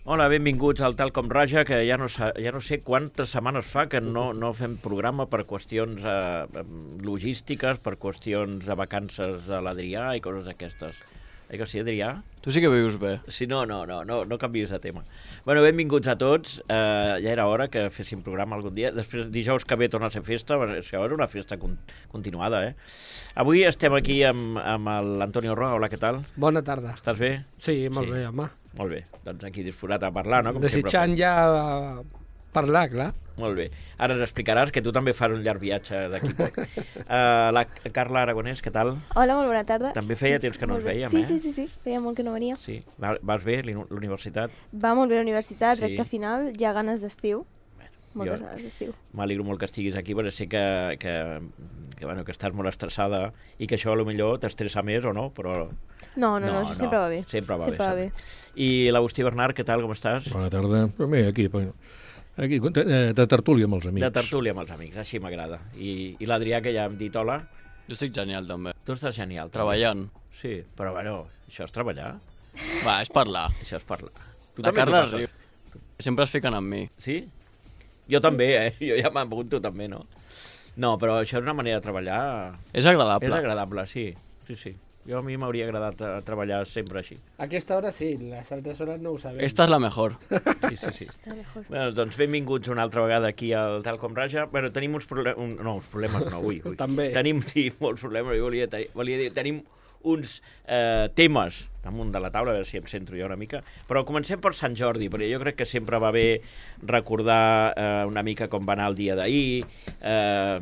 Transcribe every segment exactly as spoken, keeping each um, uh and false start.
Hola, benvinguts al Tal com Raja, que ja no, sa, ja no sé quantes setmanes fa que no, no fem programa per qüestions eh, logístiques, per qüestions de vacances de l'Adrià i coses d'aquestes. Eh que sí, Adrià? Tu sí que vius bé. Sí, no, no, no, no, no canviïs de tema. Bueno, benvinguts a tots. Eh, ja era hora que féssim programa algun dia. Després, dijous que ve torna a ser festa, això és una festa con continuada, eh? Avui estem aquí amb, amb l'Antonio Roa. Hola, què tal? Bona tarda. Estàs bé? Sí, molt Sí. bé, home. Molt bé. Doncs aquí disposat a parlar, no? Com Desitjant sempre. ja parlar, clar. Molt bé. Ara ens explicaràs que tu també fas un llarg viatge d'aquí poc. Uh, la Carla Aragonès, què tal? Hola, molt bona tarda. També feia temps que no Molt ens bé. veiem, sí, eh? Sí, sí, sí, feia molt que no venia. Sí. Va, vas bé, l'universitat? Va molt bé la universitat, Sí. recta final, ja ganes d'estiu. Moltes jo ganes d'estiu. M'alegro molt que estiguis aquí, perquè sé que, que, que, bueno, que estàs molt estressada i que això potser t'estressa més o no, però... No, no, no, això sempre va bé. Sempre va sempre bé. va bé. I l'Agustí Bernard, què tal, com estàs? Bona tarda. Però bé, aquí, aquí de, de tertúlia amb els amics. De tertúlia amb els amics, així m'agrada. I, i l'Adrià, que ja hem dit hola. Jo estic genial, també. Tu estàs genial. També. Treballant. Sí, però bueno, això és treballar. Va, és parlar. Això és parlar. Tu La també Carla t'ho passes. riu. Sempre es fiquen amb mi. Sí? Jo també, eh? Jo ja m'apunto també, no? No, però això és una manera de treballar... És agradable. És agradable, sí. Sí, sí. Jo a mi m'hauria agradat eh, treballar sempre així. A aquesta hora sí, les altres hores no ho sabem. Esta és la mejor. Sí, sí, sí. Està mejor. Bueno, doncs benvinguts una altra vegada aquí al Tal com Raja. Bueno, tenim uns problemes... Un, no, uns problemes no, ui, ui. També. Tenim, sí, molts problemes. Jo volia, volia dir, tenim uns eh, temes damunt de la taula, a veure si em centro jo una mica. Però comencem per Sant Jordi, perquè jo crec que sempre va bé recordar eh, una mica com va anar el dia d'ahir, eh,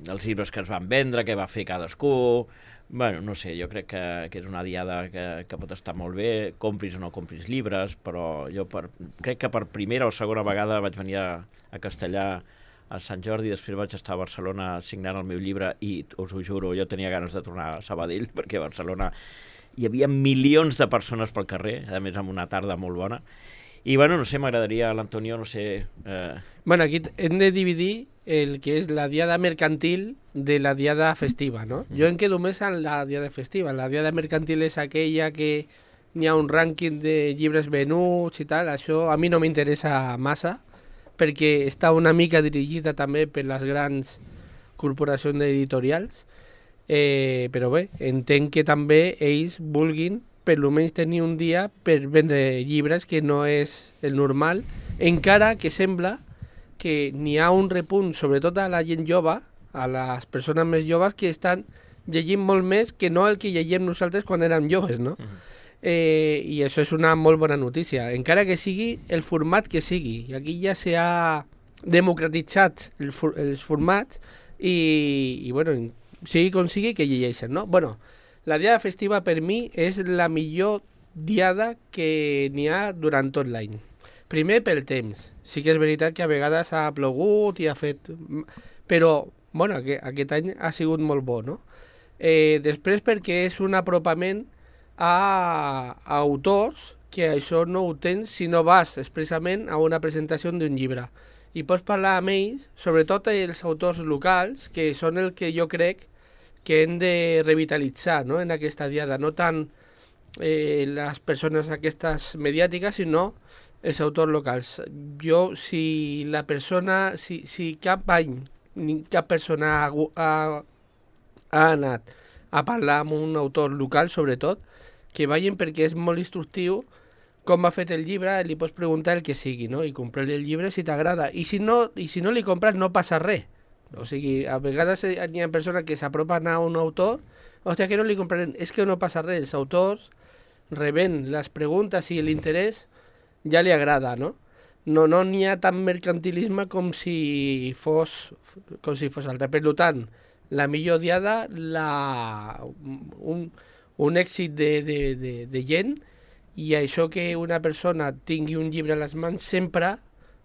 els llibres que es van vendre, què va fer cadascú... Bueno, no sé, jo crec que, que és una diada que, que pot estar molt bé, compris o no compris llibres, però jo per, crec que per primera o segona vegada vaig venir a, a Castellà a Sant Jordi, després vaig estar a Barcelona signant el meu llibre i, us ho juro, jo tenia ganes de tornar a Sabadell, perquè a Barcelona hi havia milions de persones pel carrer, a més amb una tarda molt bona. I, bueno, no sé, m'agradaria, l'Antonio, no sé... Eh... Bueno, aquí hem de dividir el que és la diada mercantil de la diada festiva, no? Mm. Jo em quedo més en la diada festiva. La diada mercantil és aquella que n'hi ha un rànquing de llibres venuts i tal. Això a mi no m'interessa massa, perquè està una mica dirigida també per les grans corporacions editorials. Eh, però bé, entenc que també ells vulguin per almenys tenir un dia per vendre llibres, que no és el normal, encara que sembla que n'hi ha un repunt, sobretot a la gent jove, a les persones més joves, que estan llegint molt més que no el que llegim nosaltres quan érem joves, no? Uh -huh. eh, I això és una molt bona notícia, encara que sigui el format que sigui. I aquí ja s'ha democratitzat el, els formats i, i bueno, sigui com sigui que llegeixen, no? Bueno, la diada festiva per mi és la millor diada que n'hi ha durant tot l'any. Primer pel temps. Sí que és veritat que a vegades ha plogut i ha fet... Però, bueno, aquest, aquest any ha sigut molt bo, no? Eh, després perquè és un apropament a, a autors que això no ho tens si no vas expressament a una presentació d'un llibre. I pots parlar amb ells, sobretot els autors locals, que són el que jo crec que hem de revitalitzar, no?, en aquesta diada, no tant eh, les persones aquestes mediàtiques, sinó els autors locals. Jo, si la persona, si, si cap any ni cap persona ha, ha, ha anat a parlar amb un autor local, sobretot, que vagin perquè és molt instructiu com ha fet el llibre, li pots preguntar el que sigui, no?, i comprar el llibre si t'agrada. I si no, i si no li compres no passa res. O sigui, a vegades hi ha persones que s'apropen a un autor, hòstia, que no li comprarem, és que no passa res, els autors rebent les preguntes i l'interès ja li agrada, no? No no n'hi ha tant mercantilisme com si fos com si fos altre. Per tant, la millor diada, la, un, un èxit de, de, de, de gent, i això que una persona tingui un llibre a les mans sempre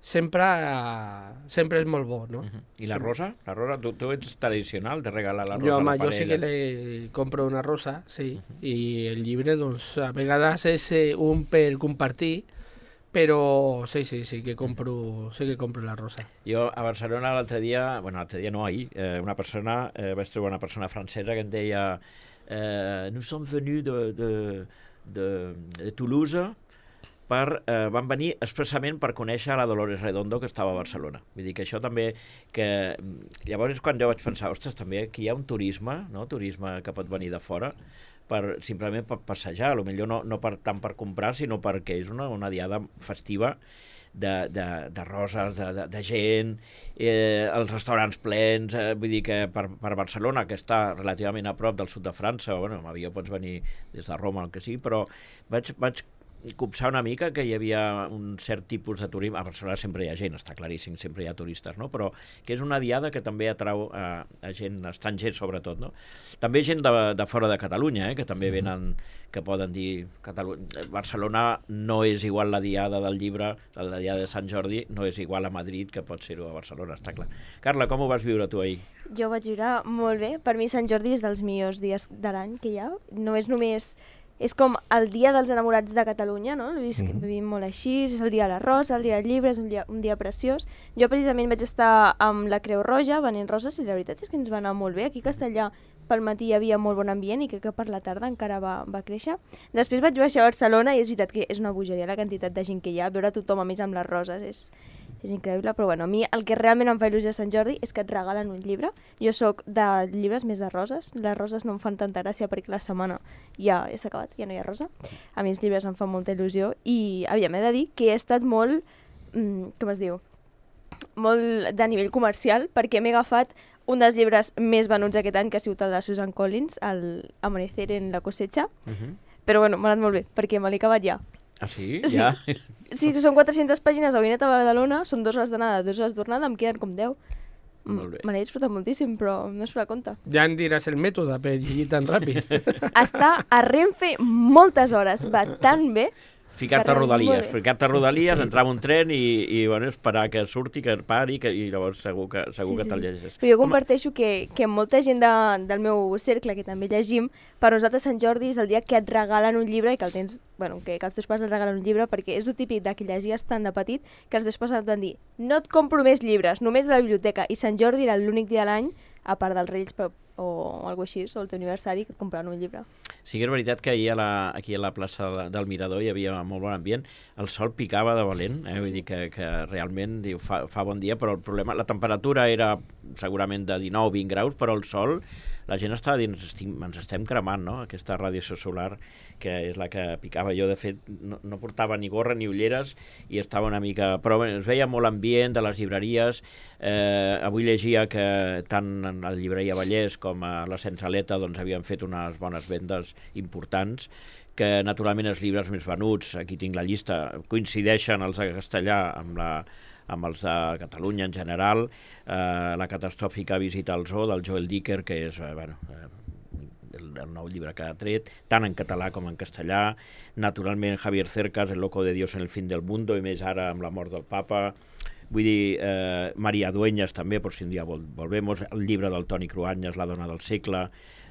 sempre, uh, sempre és molt bo, no? Uh -huh. I la rosa? La rosa, tu, tu ets tradicional de regalar la rosa jo, home, a la jo sí que le compro una rosa, sí, uh -huh. i el llibre, doncs, a vegades és eh, un per compartir, però sí, sí, sí que compro, sí que compro la rosa. Jo a Barcelona l'altre dia, bueno, l'altre dia no, ahir, eh, una persona, eh, vaig trobar una persona francesa que em deia eh, nous sommes venus de, de, de, de Toulouse per, eh, van venir expressament per conèixer la Dolores Redondo, que estava a Barcelona. Vull dir que això també... que llavors és quan jo vaig pensar, ostres, també aquí hi ha un turisme, no? Turisme que pot venir de fora, per, simplement per passejar, potser no, no per, tant per comprar, sinó perquè és una, una diada festiva de, de, de roses, de, de, de gent, eh, els restaurants plens, eh, vull dir que per, per Barcelona, que està relativament a prop del sud de França, bueno, amb avió pots venir des de Roma, el que sigui, però vaig, vaig copsar una mica que hi havia un cert tipus de turisme. A Barcelona sempre hi ha gent, està claríssim, sempre hi ha turistes, no? Però que és una diada que també atrau a, a gent estranger, sobretot, no? També gent de, de fora de Catalunya, eh? Que també venen, que poden dir... Catalunya, Barcelona no és igual la diada del llibre, la diada de Sant Jordi, no és igual a Madrid que pot ser-ho a Barcelona, està clar. Carla, com ho vas viure tu ahir? Jo vaig viure molt bé. Per mi Sant Jordi és dels millors dies de l'any que hi ha. No és només... És com el dia dels enamorats de Catalunya, no? Mm-hmm. Vivim molt així, és el dia de la rosa, el dia del llibre, és un dia, un dia preciós. Jo precisament vaig estar amb la Creu Roja venent roses i la veritat és que ens va anar molt bé. Aquí a Castellà pel matí hi havia molt bon ambient i crec que per la tarda encara va, va créixer. Després vaig baixar a Barcelona i és veritat que és una bogeria la quantitat de gent que hi ha, veure tothom a més amb les roses és... és increïble, però bueno, a mi el que realment em fa il·lusió a Sant Jordi és que et regalen un llibre. Jo sóc de llibres més de roses, les roses no em fan tanta gràcia perquè la setmana ja s'ha acabat, ja no hi ha rosa. A mi els llibres em fan molta il·lusió i aviam, he de dir que he estat molt, mm, com es diu, molt de nivell comercial perquè m'he agafat un dels llibres més venuts aquest any, que ha sigut el de Susan Collins, el Amanecer en la cosecha, uh-huh. Però bueno, m'ha anat molt bé, perquè me l'he acabat ja. Ah, sí? Sí. Ja? Sí, són quatre-centes pàgines, avui he anat a Badalona, són dues hores d'anada, dues hores d'tornada, em queden com deu. Me n'he disfrutat moltíssim, però no es farà compte. Ja em diràs el mètode per llegir tan ràpid. Està a Renfe moltes hores, va tan bé. Ficar-te a Rodalies, ficar-te a Rodalies, entrar en un tren i, i bueno, esperar que surti, que pari, que, i llavors segur que, segur sí, que te'l sí. llegeixes. Però jo comparteixo que, que molta gent de, del meu cercle, que també llegim, per nosaltres Sant Jordi és el dia que et regalen un llibre i que el tens, bueno, que, que els teus pares et regalen un llibre, perquè és el típic de que llegies tant de petit que els teus pares et van dir no et compro més llibres, només a la biblioteca, i Sant Jordi era l'únic dia de l'any, a part dels Reis però, o alguna així, o el teu aniversari, que et compraven un llibre. Sí que és veritat que ahir a la, aquí a la plaça del Mirador hi havia molt bon ambient, el sol picava de valent, eh? Vull dir que, que realment diu, fa, fa bon dia, però el problema, la temperatura era segurament de dinou vint graus, però el sol, la gent estava dient, ens estem cremant, no?, aquesta radiació solar, que és la que picava. Jo, de fet, no, no portava ni gorra ni ulleres i estava una mica... Però bé, es veia molt ambient de les llibreries. Eh, avui llegia que tant en la llibreria Vallès com a la Centraleta doncs, havien fet unes bones vendes importants, que naturalment els llibres més venuts, aquí tinc la llista, coincideixen els de castellà amb, la, amb els de Catalunya en general, eh, la catastròfica visita al zoo del Joel Dicker, que és, eh, bueno, eh, el, el nou llibre que ha tret, tant en català com en castellà, naturalment Javier Cercas, El loco de Dios en el fin del mundo, i més ara amb la mort del papa. Vull dir, eh, Maria Dueñas també, per si un dia vol, volvemos, el llibre del Toni Cruanyes, La dona del segle,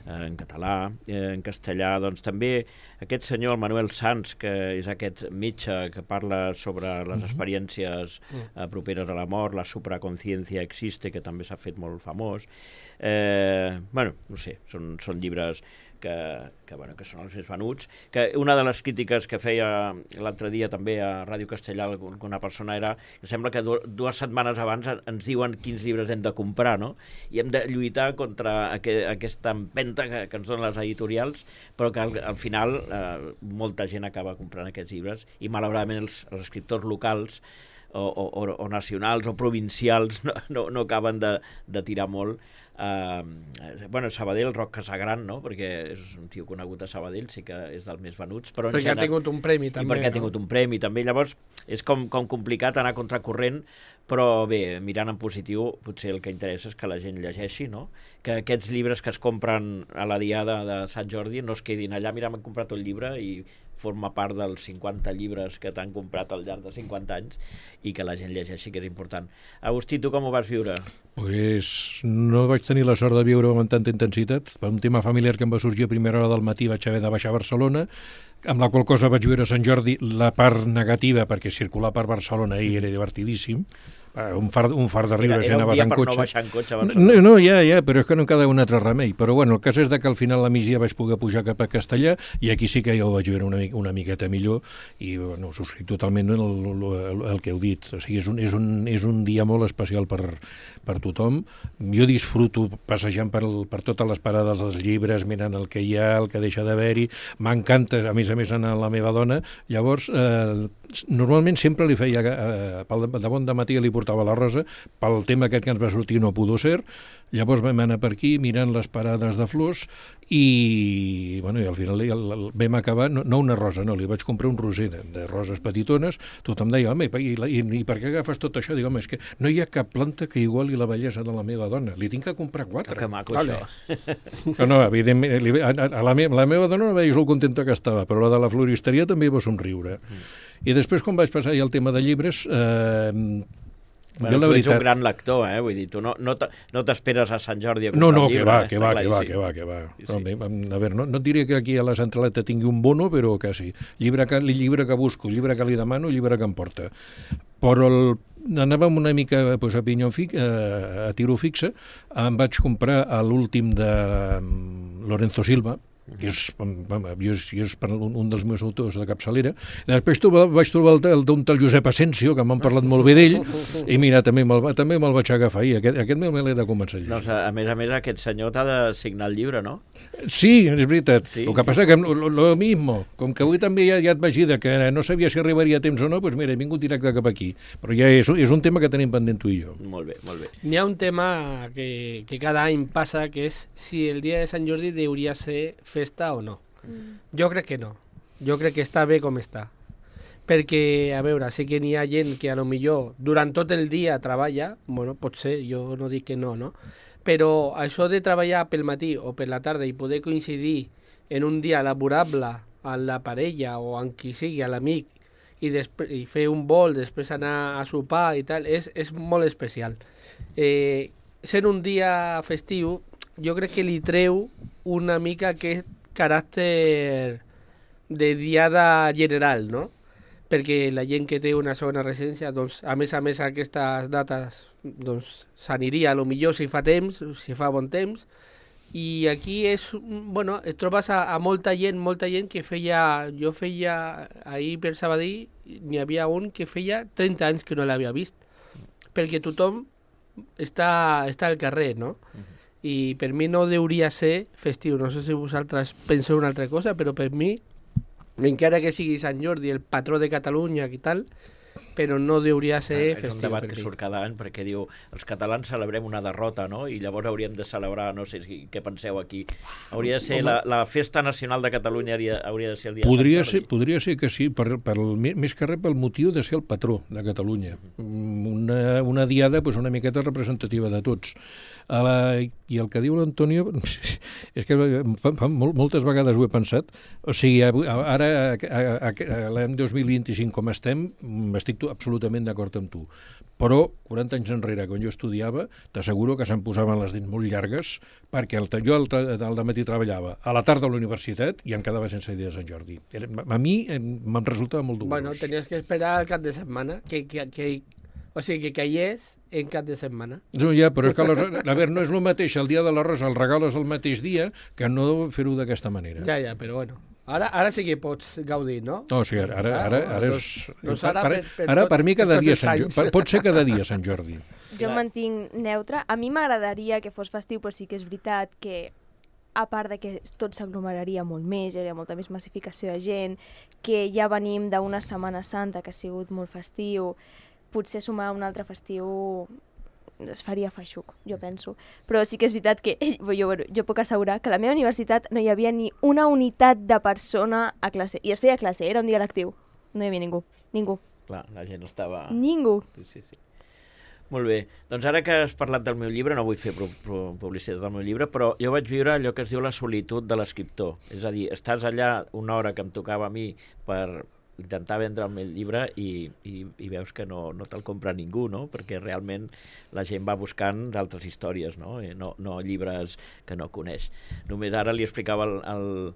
eh, en català, eh, en castellà, doncs també aquest senyor, el Manuel Sanz, que és aquest metge que parla sobre les uh-huh. experiències eh, properes a la mort, la supraconsciència existe, que també s'ha fet molt famós. Eh, bueno, no sé, són, són llibres que, que, bueno, que són els més venuts, que una de les crítiques que feia l'altre dia també a Ràdio Castellà una persona era que sembla que dues setmanes abans ens diuen quins llibres hem de comprar, no? I hem de lluitar contra aqu aquesta empenta que, que ens donen les editorials, però que al, al final eh, molta gent acaba comprant aquests llibres i malauradament els, els escriptors locals o, o, o nacionals o provincials no, no, no acaben de, de tirar molt. Uh, bueno, Sabadell, Roc Casagran, no? Perquè és un tio conegut a Sabadell, sí que és dels més venuts, però perquè general... ha tingut un premi també, i perquè no? ha tingut un premi també, llavors és com, com complicat anar contracorrent, però bé, mirant en positiu potser el que interessa és que la gent llegeixi, no? Que aquests llibres que es compren a la diada de Sant Jordi no es quedin allà, mira, m'he comprat un llibre i forma part dels cinquanta llibres que t'han comprat al llarg de cinquanta anys i que la gent llegeixi, que és important. Agustí, tu com ho vas viure? Pues no vaig tenir la sort de viure amb tanta intensitat. Per un tema familiar que em va sorgir a primera hora del matí vaig haver de baixar a Barcelona, amb la qual cosa vaig viure a Sant Jordi la part negativa, perquè circular per Barcelona ahir era divertidíssim, un far, un far de riure Era, si era un anaves dia en per cotxe. no baixar en cotxe a Barcelona. No, no, ja, ja, però és que no em quedava un altre remei. Però bueno, el cas és de que al final la migdia vaig poder pujar cap a Castellà i aquí sí que ja ho vaig veure una, una miqueta millor i bueno, subscric totalment el, el, el que heu dit. O sigui, és un, és un, és un dia molt especial per, per tothom. Jo disfruto passejant per, el, per totes les parades dels llibres, mirant el que hi ha, el que deixa d'haver-hi. M'encanta, a més a més, anar a la meva dona. Llavors, eh, normalment sempre li feia, eh, pel de bon de matí li portava la rosa, pel tema aquest que ens va sortir no pudo ser. Llavors vam anar per aquí mirant les parades de flors i, bueno, i al final el, el, vam acabar, no, no una rosa, no, li vaig comprar un roser de, de roses petitones. Tothom deia, home, i, i, i per què agafes tot això? Dic, home, és que no hi ha cap planta que iguali la bellesa de la meva dona, li tinc que comprar quatre. Que maco, Vale. això. No, no, evidentment, li, a, a la, me, la meva dona no veia molt contenta que estava, però la de la floristeria també va somriure. Mm. I després, quan vaig passar ja el tema de llibres, eh, Bueno, jo la tu ets veritat... un gran lector, eh? Vull dir, tu no, no, te- no t'esperes a Sant Jordi a comprar No, no, un que llibre. va, eh? que Està va, que va, claríssim. que va, que va. Sí, No, sí. a veure, no, no et diré que aquí a la centraleta tingui un bono, però quasi. Llibre que, llibre que busco, llibre que li demano, llibre que em porta. Però el, anàvem una mica pues, a pinyó fi, a, a tiro fixe, em vaig comprar l'últim de um, Lorenzo Silva, que és, jo és, jo és un, un dels meus autors de capçalera. I després tu, vaig trobar el, el d'un tal Josep Asensio, que m'han parlat molt bé d'ell, i mira, també me'l també me'l vaig agafar ahir. Aquest, aquest me l'he de començar a llegir. Doncs, a, a més a més, aquest senyor t'ha de signar el llibre, no? Sí, és veritat. Sí. Sí. El que passa que lo, lo mismo, com que avui també ja, ja et vaig dir que no sabia si arribaria a temps o no, doncs mira, he vingut directe cap aquí. Però ja és, és un tema que tenim pendent tu i jo. Molt bé, molt bé. N'hi ha un tema que, que cada any passa, que és si el dia de Sant Jordi hauria ser festa o no. Mm. Jo crec que no. Jo crec que està bé com està. Perquè, a veure, sé que n'hi ha gent que a lo millor durant tot el dia treballa, bueno, pot ser, jo no dic que no, no? Però això de treballar pel matí o per la tarda i poder coincidir en un dia laborable amb la parella o amb qui sigui, a l'amic, i, i fer un vol, després anar a sopar i tal, és, és molt especial. Eh, sent un dia festiu, jo crec que li treu una mica aquest caràcter de diada general, no? Perquè la gent que té una segona residència, doncs, a més a més aquestes dates doncs, s'aniria a lo millor si fa temps, si fa bon temps, i aquí és, bueno, et trobes a, a molta gent, molta gent que feia, jo feia, ahir per Sabadell, n'hi havia un que feia trenta anys que no l'havia vist, perquè tothom està, està al carrer, no? Uh-huh. I per mi no hauria ser festiu. No sé si vosaltres penseu una altra cosa, però per mi, encara que sigui Sant Jordi, el patró de Catalunya i tal, però no hauria ser Ah, és festiu. un debat per que mi. surt cada any perquè diu els catalans celebrem una derrota, no? I llavors hauríem de celebrar, no sé si, què penseu aquí, hauria de ser la, la festa nacional de Catalunya hauria, hauria de ser el dia Podria de Sant ser, Jordi. podria ser que sí, per, per, més que res pel motiu de ser el patró de Catalunya. Una, una diada pues, una miqueta representativa de tots. A la, I el que diu l'Antonio, és que fa, fa, molt, moltes vegades ho he pensat, o sigui, ara, a, a, a l'any dos mil vint-i-cinc com estem, estic absolutament d'acord amb tu. Però, quaranta anys enrere, quan jo estudiava, t'asseguro que se'm posaven les dents molt llargues, perquè el, jo al, al dematí treballava, a la tarda a la universitat, i em quedava sense dia de Sant Jordi. Era, a mi me'n resultava molt dolorós. Bueno, tenies que esperar el cap de setmana, que, que, que, o sigui, que caigués en cap de setmana. No, ja, però és que aleshores, a veure, no és el mateix el dia de l'arròs, el regales el mateix dia, que no fer-ho d'aquesta manera. Ja, ja, però bueno. Ara, ara sí que pots gaudir, no? No, o sigui, ara, ara, ara, ara és... Doncs ara per, per- per ara tot- per mi cada per tots dia els Sant anys. Jordi. Pot ser cada dia Sant Jordi. Jo em mantinc neutre. A mi m'agradaria que fos festiu, però sí que és veritat que a part de que tot s'aglomeraria molt més, hi hauria molta més massificació de gent, que ja venim d'una Setmana Santa que ha sigut molt festiu, potser sumar un altre festiu es faria feixuc, jo penso. Però sí que és veritat que jo, jo puc assegurar que a la meva universitat no hi havia ni una unitat de persona a classe. I es feia classe, era un dia lectiu. No hi havia ningú, ningú, Clar, la gent estava... ningú. Sí, sí, sí. Molt bé. Doncs ara que has parlat del meu llibre, no vull fer pu pu publicitat del meu llibre, però jo vaig viure allò que es diu la solitud de l'escriptor. És a dir, estàs allà una hora que em tocava a mi per intentar vendre el meu llibre i, i, i veus que no, no te'l compra ningú, no? Perquè realment la gent va buscant d'altres històries, no? I no, no llibres que no coneix. Només ara li explicava el, el,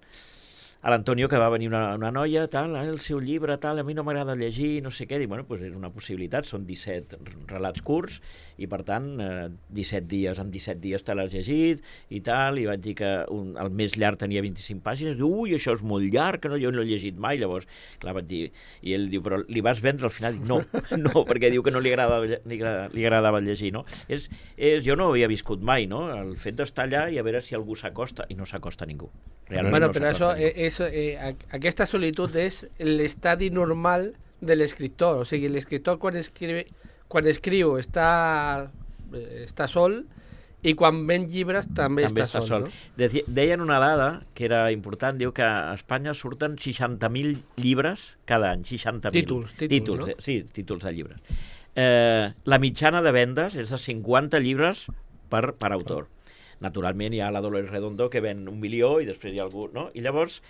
a l'Antonio, que va venir una, una noia, tal, el seu llibre, tal, a mi no m'agrada llegir, no sé què, dic, bueno, doncs és una possibilitat, són disset relats curts, i per tant, eh, disset dies, en disset dies te l'has llegit, i tal, i vaig dir que un, el més llarg tenia vint-i-cinc pàgines, diu, ui, això és molt llarg, que no, jo no l'he llegit mai, llavors, clar, vaig dir, i ell diu, però li vas vendre al final? Dic, no, no, perquè diu que no li agradava, li, li agradava llegir, no? És, és, jo no ho havia viscut mai, no? El fet d'estar allà i a veure si algú s'acosta, i no s'acosta ningú. Realment bueno, no però això, ningú. eh, eso, eh, aquesta solitud és l'estadi normal de l'escriptor. O sigui, l'escriptor quan, escriu, quan escriu està, està sol, i quan ven llibres també, també està, està sol. sol. No? Deci- Deien una dada que era important, diu que a Espanya surten seixanta mil llibres cada any, seixanta mil. Títols, títols, títols no? eh, sí, títols de llibres. Eh, la mitjana de vendes és de cinquanta llibres per, per autor. Naturalment hi ha la Dolores Redondo que ven un milió i després hi ha algú, no? I llavors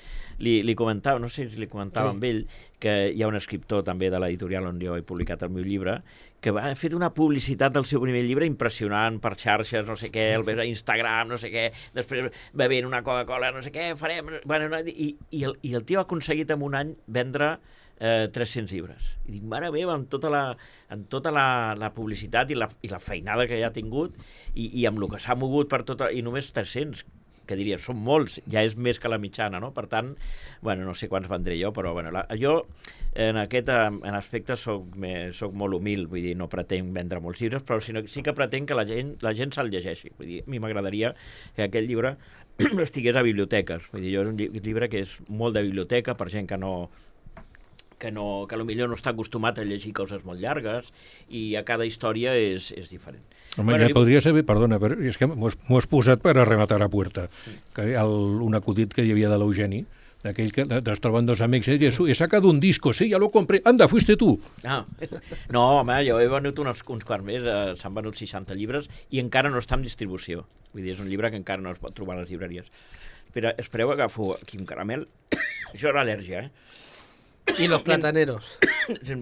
li, li comentava, no sé si li comentava Sí. amb ell, que hi ha un escriptor també de l'editorial on jo he publicat el meu llibre, que va fer una publicitat del seu primer llibre impressionant per xarxes, no sé què, el veure a Instagram, no sé què, després bevent una Coca-Cola, no sé què, farem... Bueno, no, i, i, el, I el tio ha aconseguit en un any vendre eh, tres-cents llibres. I dic, mare meva, amb tota la, amb tota la, la publicitat i la, i la feinada que ja ha tingut i, i amb el que s'ha mogut per tota... I només tres-cents, que diria, són molts, ja és més que la mitjana, no? Per tant, bueno, no sé quants vendré jo, però bueno, la, jo en aquest en aspecte soc, me, soc molt humil, vull dir, no pretenc vendre molts llibres, però sí, sí que pretenc que la gent, la gent se'l llegeixi. Vull dir, a mi m'agradaria que aquest llibre estigués a biblioteques. Vull dir, jo és un llibre que és molt de biblioteca per gent que no que, no, que potser no està acostumat a llegir coses molt llargues i a cada història és, és diferent. Home, Bueno, ja li- podria saber, perdona, però és que m'ho has, m'ho has posat per a rematar a puerta, que el, un acudit que hi havia de l'Eugeni, d'aquell que es troben dos amics, i diu, he sacado un disco, sí, ja lo compré, anda, fuiste tu. Ah. No, home, jo he venut uns, uns quants més, eh, s'han venut seixanta llibres i encara no està en distribució. Vull dir, és un llibre que encara no es pot trobar a les llibreries. Espera, espereu, agafo aquí un caramel. Això era al·lèrgia, eh? I los plataneros.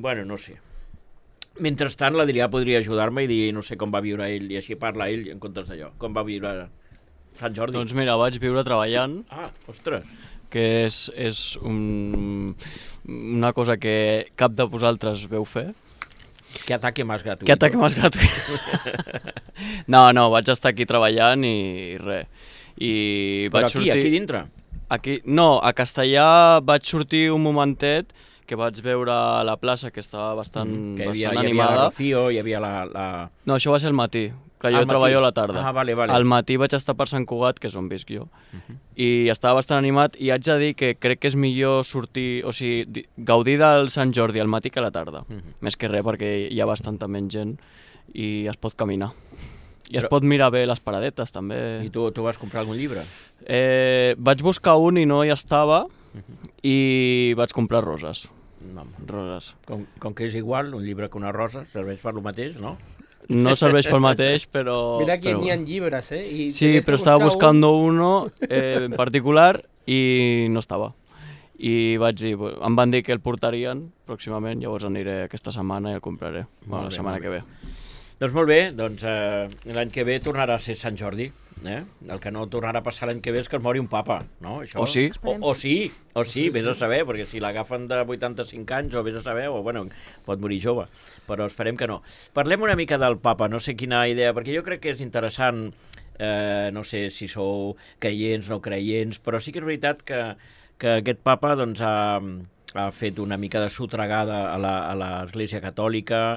Bueno, no sé. Mentrestant, l'Adrià podria ajudar-me i dir, no sé com va viure ell, i així parla ell en comptes d'allò. Com va viure Sant Jordi? Doncs mira, vaig viure treballant, Ah, ostres. que és, és un, una cosa que cap de vosaltres veu fer. Que ataque més gratuït. Que ataque més gratuït. No, no, vaig estar aquí treballant i res. I Però vaig aquí, sortir... aquí dintre? Aquí, no, a Castellà vaig sortir un momentet que vaig veure la plaça, que estava bastant, Mm, que hi havia, bastant hi havia la animada. Rocío, hi havia la... la... No, això va ser al matí, que Al jo matí? treballo a la tarda. Ah, vale, vale. Al matí vaig estar per Sant Cugat, que és on visc jo, i estava bastant animat, i haig de dir que crec que és millor sortir, o sigui, di- gaudir del Sant Jordi al matí que a la tarda. Mhm. Més que res, perquè hi ha bastanta menys gent i es pot caminar. I es Però- pot mirar bé les paradetes, també. I tu, tu vas comprar algun llibre? Eh, vaig buscar un i no hi estava, i vaig comprar roses. No. Roses. Com, com que és igual, un llibre que una rosa serveix per lo mateix, no? No serveix pel mateix, però... Mira que però... n'hi ha llibres, eh? I Sí, tienes que però estava buscar un- buscando uno eh, en particular i no estava. I vaig dir, em van dir que el portarien pròximament, llavors aniré aquesta setmana i el compraré, bueno, Molt bé, la setmana molt que bé. ve. Doncs molt bé, doncs eh, l'any que ve tornarà a ser Sant Jordi. Eh? El que no tornarà a passar l'any que ve és que es mori un papa, no? Això... O sí. O, o sí, o sí, vés a saber, perquè si l'agafen de vuitanta-cinc anys o vés a saber, o bueno, pot morir jove, però esperem que no. Parlem una mica del papa, no sé quina idea, perquè jo crec que és interessant, eh, no sé si sou creients, no creients, però sí que és veritat que, que aquest papa doncs, ha, ha fet una mica de sotregada a la- a l'Església Catòlica.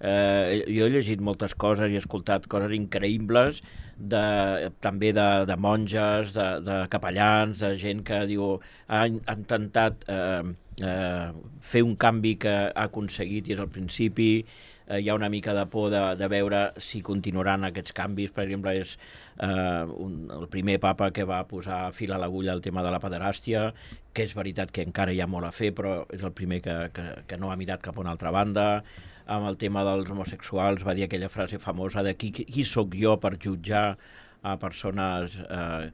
Eh, jo he llegit moltes coses i he escoltat coses increïbles, de, també de, de monges, de, de capellans, de gent que diu, ha, ha intentat eh, eh, fer un canvi que ha aconseguit i és al principi. Eh, hi ha una mica de por de, de veure si continuaran aquests canvis. Per exemple, és eh, un, el primer papa que va posar fil a l'agulla al tema de la pederàstia, que és veritat que encara hi ha molt a fer, però és el primer que, que, que no ha mirat cap a una altra banda. Amb el tema dels homosexuals va dir aquella frase famosa de qui, qui sóc jo per jutjar a persones eh,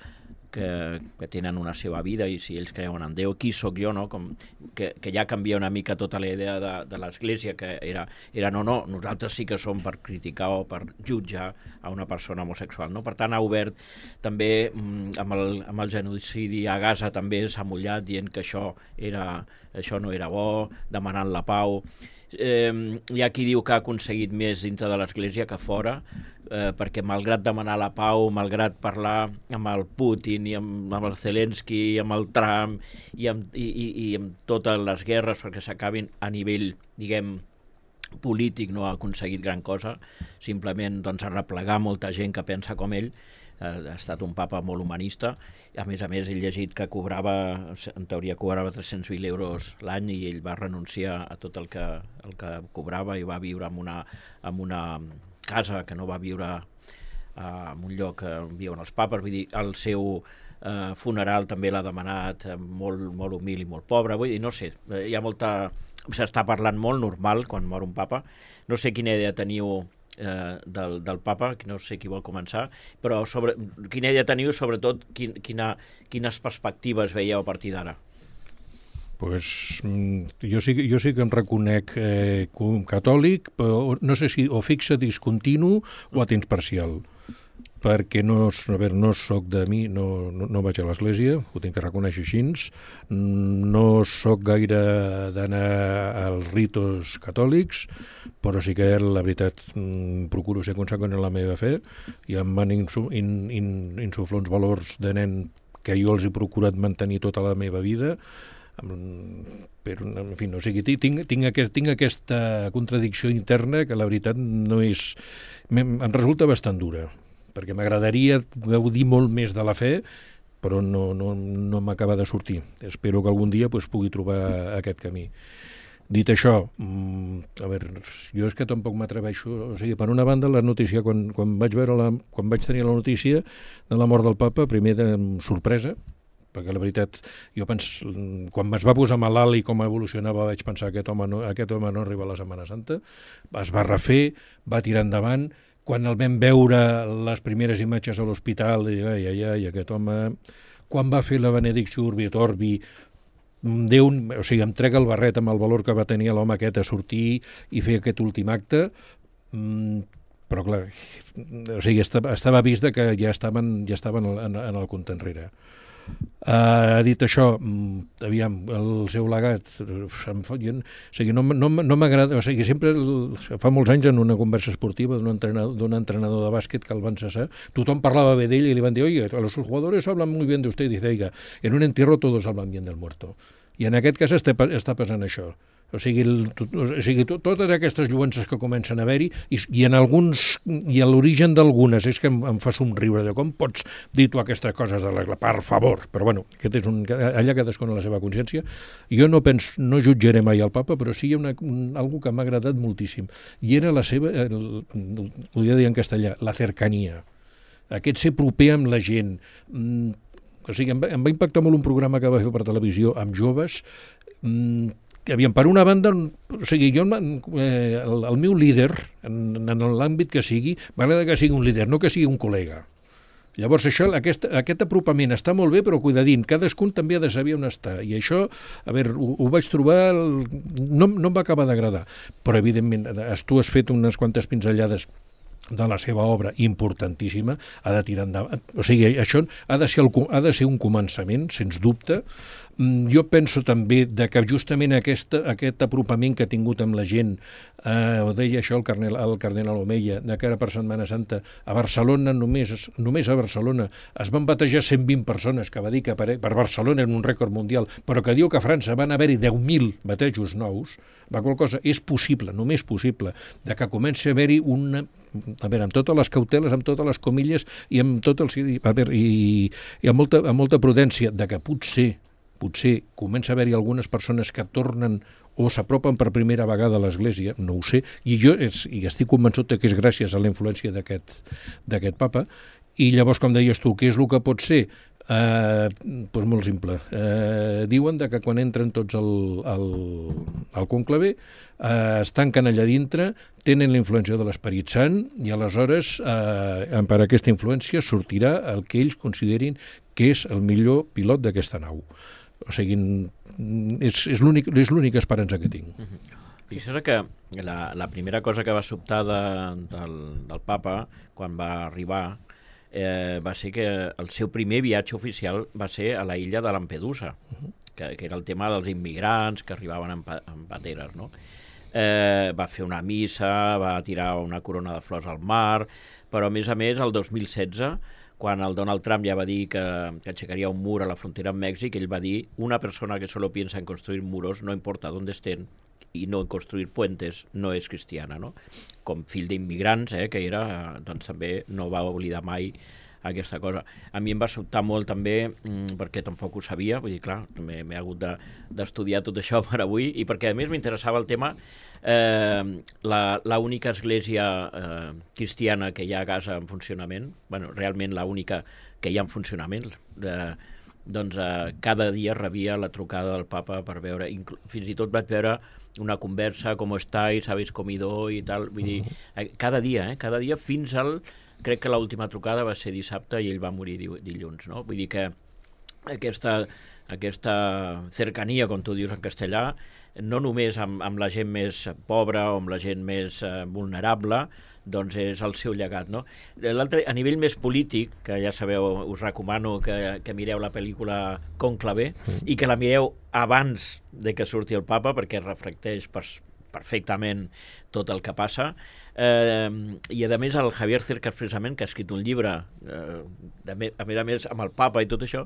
que, que tenen una seva vida i si ells creuen en Déu, qui sóc jo, no? Com que, que ja canvia una mica tota la idea de, de l'Església, que era, era no, no, nosaltres sí que som per criticar o per jutjar a una persona homosexual, no? Per tant, ha obert també amb el, amb el genocidi a Gaza també s'ha mullat dient que això, era, això no era bo, demanant la pau. Eh, hi ha qui diu que ha aconseguit més dintre de l'Església que fora, eh, perquè malgrat demanar la pau, malgrat parlar amb el Putin i amb, amb el Zelensky i amb el Trump i amb, i, i, i amb totes les guerres perquè s'acabin a nivell, diguem, polític, no ha aconseguit gran cosa, simplement doncs, arreplegar molta gent que pensa com ell. Ha estat un papa molt humanista. A més a més, he llegit que cobrava, en teoria cobrava tres-cents mil euros l'any i ell va renunciar a tot el que, el que cobrava i va viure en una, en una casa que no va viure uh, en un lloc on viuen els papes. Vull dir, el seu uh, funeral també l'ha demanat uh, molt, molt humil i molt pobre. Vull dir, no sé, hi ha molta... S'està parlant molt normal quan mor un papa. No sé quina idea teniu Eh, del, del papa, que no sé qui vol començar, però sobre, quina idea teniu, sobretot quin, quina, quines perspectives veieu a partir d'ara? Pues, jo, sí, jo sí que em reconec eh, com catòlic, però no sé si o fixe discontinu o a temps parcial, perquè no, a veure, no soc de mi, no, no, no vaig a l'església, ho tinc que reconèixer així, no soc gaire d'anar als ritos catòlics, però sí que la veritat procuro ser conseqüent en la meva fe i em van insuflar in, in, insuflar uns valors de nen que jo els he procurat mantenir tota la meva vida, però, en fi, no, o sigui, tinc, tinc, aquest, tinc aquesta contradicció interna que la veritat no és... em resulta bastant dura, perquè m'agradaria gaudir molt més de la fe, però no, no, no m'acaba de sortir. Espero que algun dia pues, pugui trobar aquest camí. Dit això, a veure, jo és que tampoc m'atreveixo, o sigui, per una banda, la notícia, quan, quan, vaig veure la, quan vaig tenir la notícia de la mort del papa, primer de sorpresa, perquè la veritat, jo pens, quan es va posar malalt i com evolucionava vaig pensar que aquest home no, aquest home no arriba a la Setmana Santa, es va refer, va tirar endavant. Quan el vam veure les primeres imatges a l'hospital, i ai, ai, ai, aquest home... Quan va fer la benedicció Urbi et Orbi, Déu, o sigui, em trega el barret amb el valor que va tenir l'home aquest a sortir i fer aquest últim acte, però clar, o sigui, estava vist que ja estaven, ja estaven en, en el compte enrere. Ha uh, dit això, aviam, el seu legat, em fa, jo, o sigui, no, no, no m'agrada, o sigui, sempre, fa molts anys en una conversa esportiva d'un entrenador, d'un entrenador de bàsquet que el van cessar, tothom parlava bé d'ell i li van dir, oye, los jugadores hablan muy bien de usted, i dice, oiga, en un entierro todos hablan bien del muerto. I en aquest cas està, està passant això. O sigui, el, o sigui to, totes aquestes lluences que comencen a haver-hi i, i en alguns, i a l'origen d'algunes és que em, em fa somriure de com pots dir tu aquestes coses de la, per favor, però bueno, aquest és un, allà cadascun a la seva consciència. Jo no penso, no jutjaré mai el papa, però sí hi ha una, un, algo que m'ha agradat moltíssim i era la seva, el, ho dia dir en castellà, la cercania, aquest ser proper amb la gent. Mm, o sigui, em va, em va impactar molt un programa que va fer per televisió amb joves, mm, que aviam, per una banda, o sigui, jo, eh, el, el meu líder, en, en l'àmbit que sigui, m'agrada que sigui un líder, no que sigui un col·lega. Llavors, això, aquest, aquest apropament està molt bé, però cuidadint, cadascun també ha de saber on està. I això, a veure, ho, ho vaig trobar, el, no, no em va acabar d'agradar, però evidentment, tu has fet unes quantes pinzellades de la seva obra importantíssima, ha de tirar endavant. O sigui, això ha de ser, el, ha de ser un començament, sens dubte. Jo penso també de que justament aquest, aquest apropament que ha tingut amb la gent, eh, ho deia això el cardenal, el cardenal Omeya, de cara per Setmana Santa, a Barcelona, només, només a Barcelona, es van batejar cent vint persones, que va dir que per, per Barcelona era un rècord mundial, però que diu que a França van haver-hi deu mil batejos nous, va qual cosa, és possible, només possible, de que comenci a haver-hi una... A veure, amb totes les cauteles, amb totes les comilles i amb tot el... A veure, i, i amb, molta, amb molta prudència, de que potser, potser comença a haver-hi algunes persones que tornen o s'apropen per primera vegada a l'Església, no ho sé, i jo és, i estic convençut que és gràcies a la influència d'aquest d'aquest papa, i llavors, com deies tu, què és el que pot ser? Eh, doncs molt simple. Eh, diuen de que quan entren tots al, al, al conclave eh, es tanquen allà dintre, tenen la influència de l'Esperit Sant i aleshores eh, per aquesta influència sortirà el que ells considerin que és el millor pilot d'aquesta nau. O sigui, és, és l'única esperança que tinc. Uh-huh. Fixa't que la, la primera cosa que va sobtar de, del, del papa quan va arribar eh, va ser que el seu primer viatge oficial va ser a la illa de Lampedusa, uh-huh. que, que era el tema dels immigrants que arribaven en, pa, en pateres, no? Eh, va fer una missa, va tirar una corona de flors al mar, però a més a més el dos mil setze, quan el Donald Trump ja va dir que, que aixecaria un mur a la frontera amb Mèxic, ell va dir, una persona que solo piensa en construir muros, no importa on estén, i no construir puentes, no és cristiana, no? Com fill d'immigrants, eh, que era, doncs també no va oblidar mai aquesta cosa. A mi em va sobtar molt també, mmm, perquè tampoc ho sabia, vull dir, clar, m'he hagut d'estudiar de, tot això per avui, i perquè a més m'interessava el tema, eh, la, la única església eh, cristiana que hi ha a casa en funcionament, bueno, realment la única que hi ha en funcionament, eh, doncs eh, cada dia rebia la trucada del papa per veure, fins i tot vaig veure una conversa, com estáis, habéis comido i tal, vull dir, eh, cada dia, eh, cada dia fins al, crec que l'última trucada va ser dissabte i ell va morir dilluns, no? Vull dir que aquesta, aquesta cercania, com tu dius en castellà, no només amb, amb la gent més pobra o amb la gent més eh, vulnerable, doncs és el seu llegat, no? L'altre, a nivell més polític, que ja sabeu, us recomano que, que mireu la pel·lícula Conclave i que la mireu abans de que surti el papa, perquè reflecteix per, perfectament tot el que passa. Eh, I a més el Javier Cercas, precisament, que ha escrit un llibre, eh, de, a més a més amb el papa i tot això,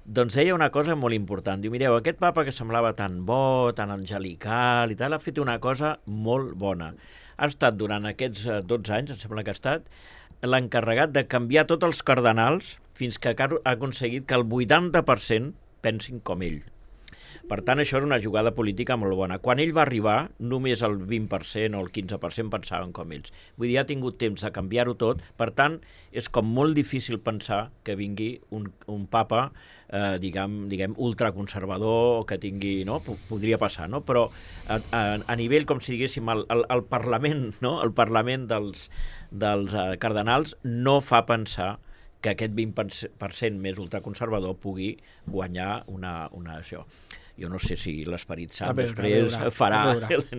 doncs deia una cosa molt important. Diu, mireu, aquest papa que semblava tan bo, tan angelical i tal, ha fet una cosa molt bona. Ha estat durant aquests dotze anys, em sembla que ha estat, l'encarregat de canviar tots els cardenals fins que ha aconseguit que el vuitanta per cent pensin com ell. Per tant, això és una jugada política molt bona. Quan ell va arribar, només el vint per cent o el quinze per cent pensaven com ells. Vull dir, ha tingut temps de canviar-ho tot. Per tant, és com molt difícil pensar que vingui un, un papa, eh, diguem, diguem, ultraconservador, o que tingui, no? Podria passar, no? Però a, a, a nivell, com si diguéssim, el, el, el Parlament, no? El Parlament dels, dels uh, cardenals no fa pensar que aquest vint per cent més ultraconservador pugui guanyar una, una això. Jo no sé si l'Esperit Sant veure, després veure, farà,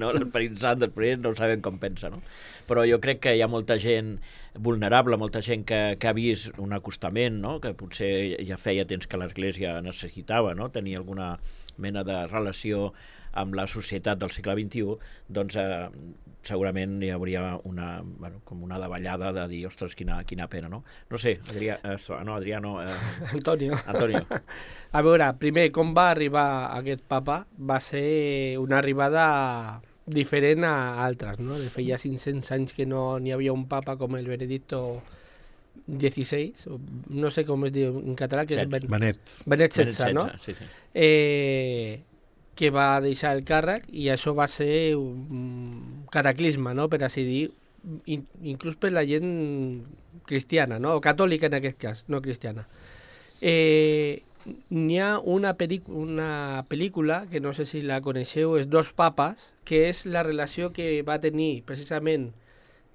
no? L'Esperit Sant després no sabem com pensa, no? Però jo crec que hi ha molta gent vulnerable, molta gent que, que ha vist un acostament, no? Que potser ja feia temps que l'Església necessitava, no? Tenir alguna mena de relació amb la societat del segle vint-i-u, doncs eh, segurament hi hauria una, bueno, com una davallada de dir, ostres, quina, quina pena, no? No sé, Adrià, eh, no, Adrià no... Eh, Antonio. Antonio. A veure, primer, com va arribar aquest papa? Va ser una arribada diferent a altres, no? De feia cinc-cents anys que no n'hi havia un papa com el Benedicto dieciséis, no sé com es diu en català, que és Ben... Benet. Benet setze, no? Sí, sí. Eh... que va deixar el càrrec i això va ser un cataclisme, no? Per així dir, in, inclús per la gent cristiana, no? O catòlica en aquest cas, no cristiana. Eh, N'hi ha una, una pel·lícula, que no sé si la coneixeu, és Dos papes, que és la relació que va tenir precisament,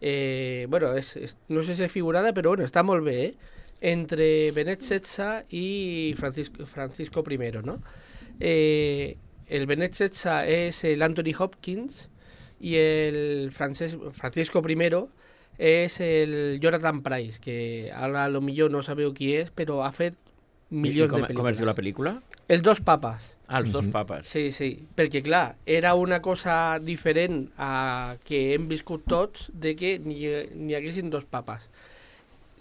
eh, bueno, és, és, no sé si és figurada, però bueno, està molt bé, eh? Entre Benet setze i Francisco, Francisco I, no? Eh, el Benet setze és l'Anthony Hopkins i el Frances, Francisco I és el Jonathan Pryce, que ara a lo millor no sabeu qui és, però ha fet milions com, de pel·lícules. Com es diu la pel·lícula? Els dos papes. Ah, els dos papes. Sí, sí, perquè clar, era una cosa diferent a que hem viscut tots de que n'hi haguessin dos papes.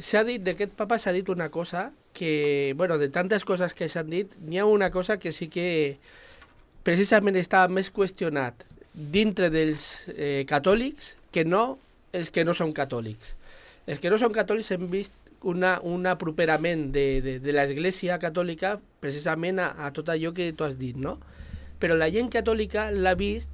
S'ha dit, d'aquest papa s'ha dit una cosa que, bueno, de tantes coses que s'han dit, n'hi ha una cosa que sí que precisament està més qüestionat dintre dels eh, catòlics que no els que no són catòlics. Els que no són catòlics hem vist una, un aproperament de, de, de l'Església catòlica precisament a, a tot allò que tu has dit, no? Però la gent catòlica l'ha vist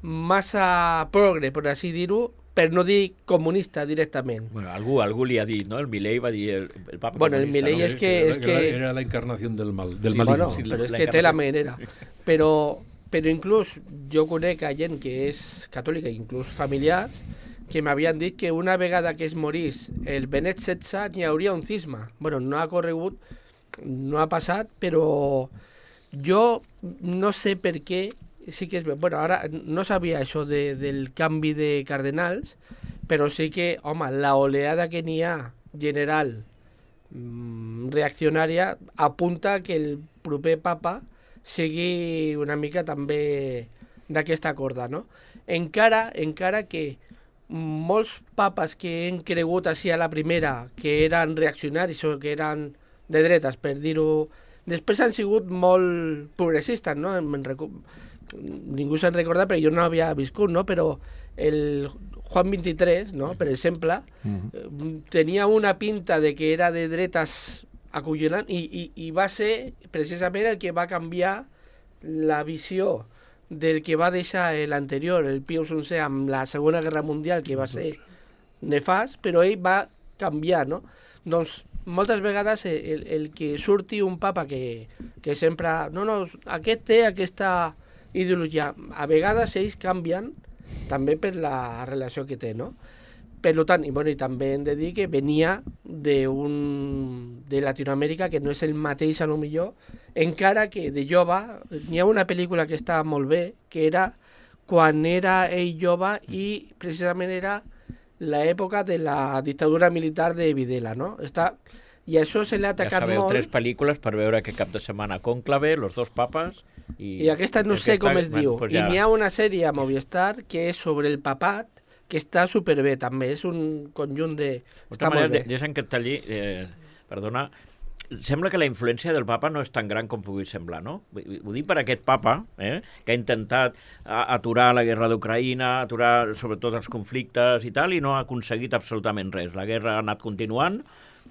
massa progre, per així dir-ho, per no dir comunista directament. Bueno, algú, algú li ha dit, no? El Milei va dir el, el papa bueno, comunista. El Milei no? és que... És que... Era la encarnació del mal. Del sí, maligno. bueno, Sí, però és la que té la encarnació. manera. Però, però inclús jo conec a gent que és catòlica, inclús familiars, que m'havien dit que una vegada que es morís el Benet setze n'hi hauria un cisma. Bueno, no ha corregut no ha passat, però jo no sé per què, sí que és... Bueno, ara no sabia això de, del canvi de cardenals, però sí que, home, la oleada que n'hi ha general mmm, reaccionària apunta que el proper papa sigui una mica també d'aquesta corda, no? Encara, encara que molts papes que hem cregut així a la primera que eren reaccionaris o que eren de dretes, per dir-ho, després han sigut molt progressistes, no? Ningú se'n recorda, però jo no havia viscut, no? Però el Juan vint-i-tres, no? Per exemple, uh-huh. tenia una pinta de que era de dretes acollonant i, i, i va ser precisament el que va canviar la visió del que va deixar l'anterior, el Pius onzè, amb la Segona Guerra Mundial, que va ser nefast, però ell va canviar, no? Doncs moltes vegades el, el que surti un papa que, que sempre... No, no, aquest té aquesta ideologia. A vegades ells canvien també per la relació que té, no? Per tant, i, bueno, i també hem de dir que venia d'un de Latinoamèrica que no és el mateix a lo millor, encara que de jove n'hi ha una pel·lícula que està molt bé, que era quan era ell jove i precisament era l'època de la dictadura militar de Videla, no? Està, i això se l'ha atacat ja sabeu, molt. Tres pel·lícules per veure que cap de setmana Cònclave, Los dos papes... I, I aquesta no sé aquesta, com es bueno, diu. pues ja... I n'hi ja... ha una sèrie a Movistar que és sobre el papat, que està superbé també, és un conjunt de... De està manera, molt bé. deixa'm que et talli, eh, perdona, sembla que la influència del papa no és tan gran com pugui semblar, no? Ho dic per aquest papa, eh, que ha intentat aturar la guerra d'Ucraïna, aturar sobretot els conflictes i tal, i no ha aconseguit absolutament res. La guerra ha anat continuant,